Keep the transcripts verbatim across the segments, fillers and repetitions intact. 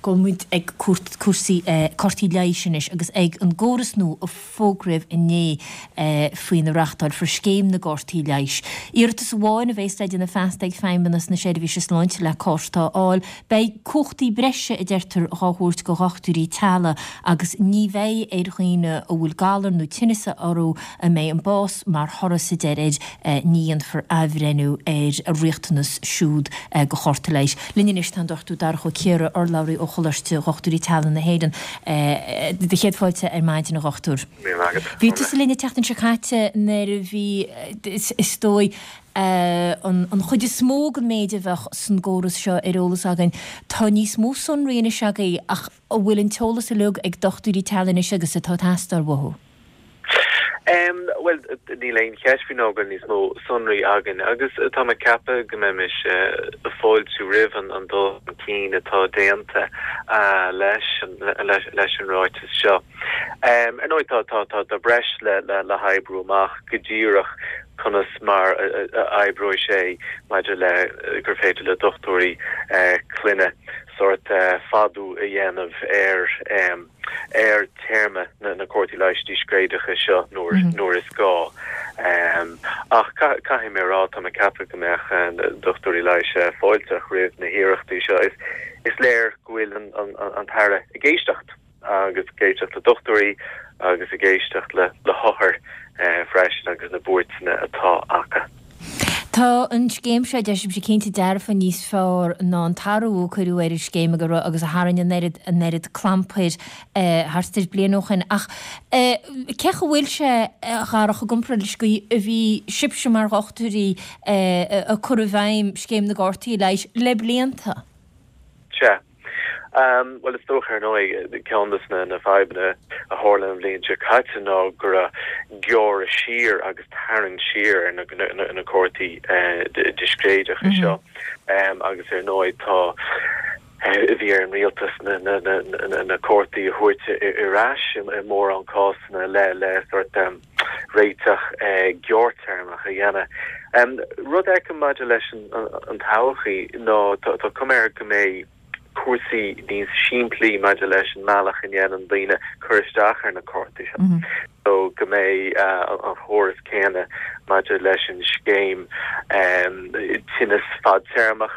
Gabhfaidh muid ag cúrsaí cártaí leighis anois agus ag an gcóras nua a fógraíodh inné faoina reáchtálfar scéim na gcártaí leighis. Iarratas amháin a bheas le déanamh feasta ag Feidhmeannas na Seirbhíse Sláinte le cárta a fháil. Beidh cumhachtaí breise, a deirtear, dhá thabhairt go dhochtúirí teaghlaigh agus ní bheidh ar dhaoine a bhfuil galar nó tinneas orthu a mbeidh an bás mar thoradh sa deireadh air, ní dhéanfar athbhreithniú ar a riachtanas siúd go chárta leighis. Linn anois tá an Dochtúir Darach Ó Ciardha, urlabhraí ó Choláiste Dhochtúirí Teaghlaigh na hÉireann. Do chéad fáilte ar maidin, a Dhochtúir. Míle maith agat. Bhí tusa linn an tseachtain seo caite nuair a bhí, is dóigh, an chuid is mó den méid a bheadh san gcóras seo ar eolas againn. Tá níos mó sonraí anois agaibh ach an bhfuil an t-eolas uilig ag dochtúirí teaghlaigh anois agus atá ag teastáil uathu? Bhuel, níl aon cheist faoi ná go bhfuil níos mó sonraí againn agus tá mé ag ceapadh go mbeimis ag fáiltiú roimh an dul chun cinn atá déanta leis leis an ráiteas seo. Ar ndóigh tá tá tá breis le le hoibriú amach go díreach conas mar a oibreoidh sé maidir le gur féidir le dochtúirí clainne sórt fadú a dhéanamh ar ar téarma na cártaí leighis díscréideacha seo nuair nuair is gá. Ach caithfidh mé a rá, tá mé ag ceapadh go mbeadh dochtúirí leighis fáilteach roimh na hiarrachtaí seo. Is is léir go bhfuil an an tAire ag éisteacht agus ag éisteacht le dochtúirí agus ag éisteacht le le hothair freisin agus na buairteanna atá acu. Tá an scéim seo, deir sibhse, cinnte dearfa níos fearr ná an t-athrú a cuireadh ar an scéim agus a tharraing an oiread an oiread clampair thart ar bliain ó shin. Ach cé chaoi bhfuil sé, a Dharach, i gcomparáid leis an gcaoi a bhí sibhse mar dhochtúirí ag cur i bhfeidhm scéim na gcártaí leighis le blianta? Sea. Bhuel, is dócha, ar ndóigh, ceann de na fadhbanna a tharla an bhliain seo caite ná go raibh gearradh siar agus tarraingt siar ar na cártaí discréideacha seo agus ar ndóigh tá bhí ar an rialtas na cártaí a thabhairt ar ais i mórán cásanna le le sórt réiteach gearrthéarmach a dhéanamh. Rud a fheicim maidir leis an todhchaí ná tá cuma air go mbeidh cúrsaí níos simplí maidir leis an mbealach a ndéanann daoine cur isteach ar na cártaí seo. So go mbeidh an chóras céanna maidir leis an scéim tinneas fadtéarmach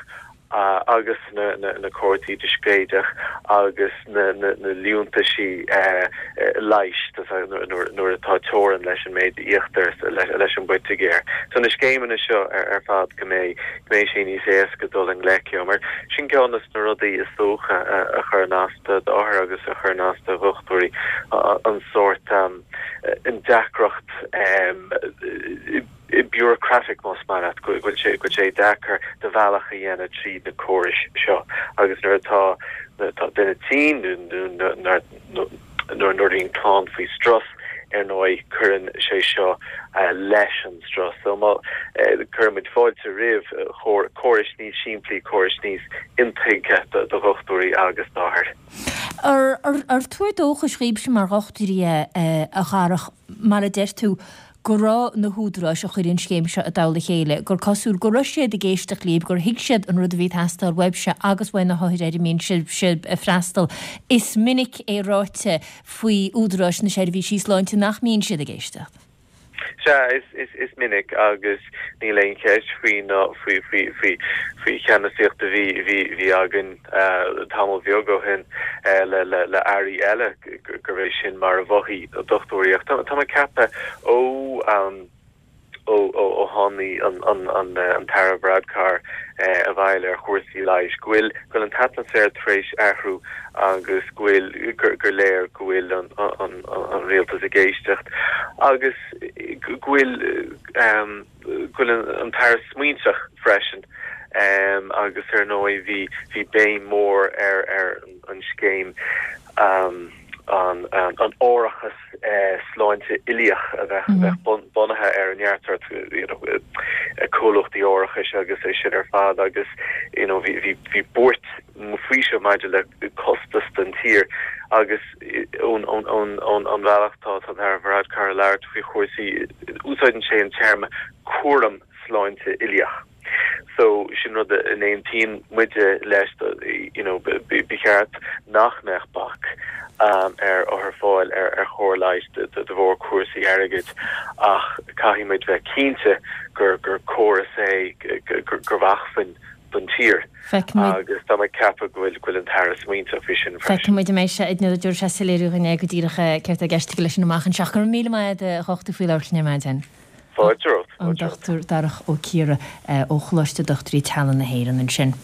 agus na na cártaí discréideach agus na na liúntaisí leighis nuair atá teorainn leis an méid a íoctar leis an bPoitigéir. So na scéimeanna seo ar fad go mbeidh go mbeidh sé níos éasca dul i ngleic leo mar sin ceann de na rudaí is dócha a chuireann as d'othair agus a chuireann as do dhochtúirí an sórt an deacracht bureaucratic más maith leat go bhfuil sé go bhfuil sé deacair do bhealach a dhéanamh tríd na córais seo agus nuair atá tá duine tinn nó nuair nuair a bhíonn clann faoi strus ar ndóigh cuireann sé seo leis an strus. So má cuireann muid fáilte roimh chórais níos simplí, córais níos intuigthe do dhochtúirí agus d'othair. Ar tuar dóchais dhaoibhse mar dhochtúirí é, a Dharach, mar a deir tú, go raibh na húdaráis a chuir an scéim seo i dtoll a chéile, gur cosúil go raibh siad ag éisteacht libh, gur thuig siad an rud a bhí ag teastáil uaibhse agus uaidh na hothair ar a mbíonn sibhse ag freastal. Is minic é ráite faoi údaráis na seirbhísí sláinte nach mbíonn siad ag éisteacht. Sea, is, is, is minic agus níl aon cheist faoi ná faoi, faoi, faoi, faoi cheannasaíocht a bhí, bhí, bhí againn tamall beag ó shin le, le, le airí eile gurbh é sin mar a mhothaigh dochtúirí. Ach tá, tá mé ag ceapadh ó, ó, ó, ó tháinig an, an, an, an tAire Varadkar abhaile ar chúrsaí leighis go bhfuil, go bhfuil an t-atmaisféar tar éis athrú agus go bhfuil, gur, gur léir go bhfuil an, an, an rialtas ag éisteacht agus go bhfuil, go bhfuil an tAire smaointeach freisin agus ar ndóigh bhí, bhí béim mhór ar, ar an scéim an, an árachas sláinte uilíoch a bheith, a bheith bunaithe ar neart sórt you know comhlachtaí árachais agus é sin ar fad agus you know bhí, bhí, bhí buairt faoi seo maidir le costas don tír agus ón, ón, ón, ón, ón bhealach tá an tAire Varadkar ag labhairt faoi chúrsaí, úsáideann sé an téarma cúram sláinte uilíoch. So sin rud a n-aontaíonn muide leis you know ba cheart nach mbeadh bac um, ar othair fáil ar ar chóir leighis de, de, de bharr cúrsaí airgid ach caithfidh muid bheith cinnte gur gur córas é gur gur acmhainn don tír. Agus tá mé ag ceapadh go bhfuil go bhfuil an tAire smaointeach faoi sin freisin. Feicfidh muid an mbeidh sé ag nó dúirt sé soiléiriú dhuine go díreach céard atá i gceist aige leis sin amach anseo. Go raibh míle maith agat a dhochtúir faoi labhairt linn ar maidin. Fáilte romhat. An Dochtúir Darach Ó Ciardha ó Choláiste Dochtúirí Teaghlaigh na hÉireann ansin.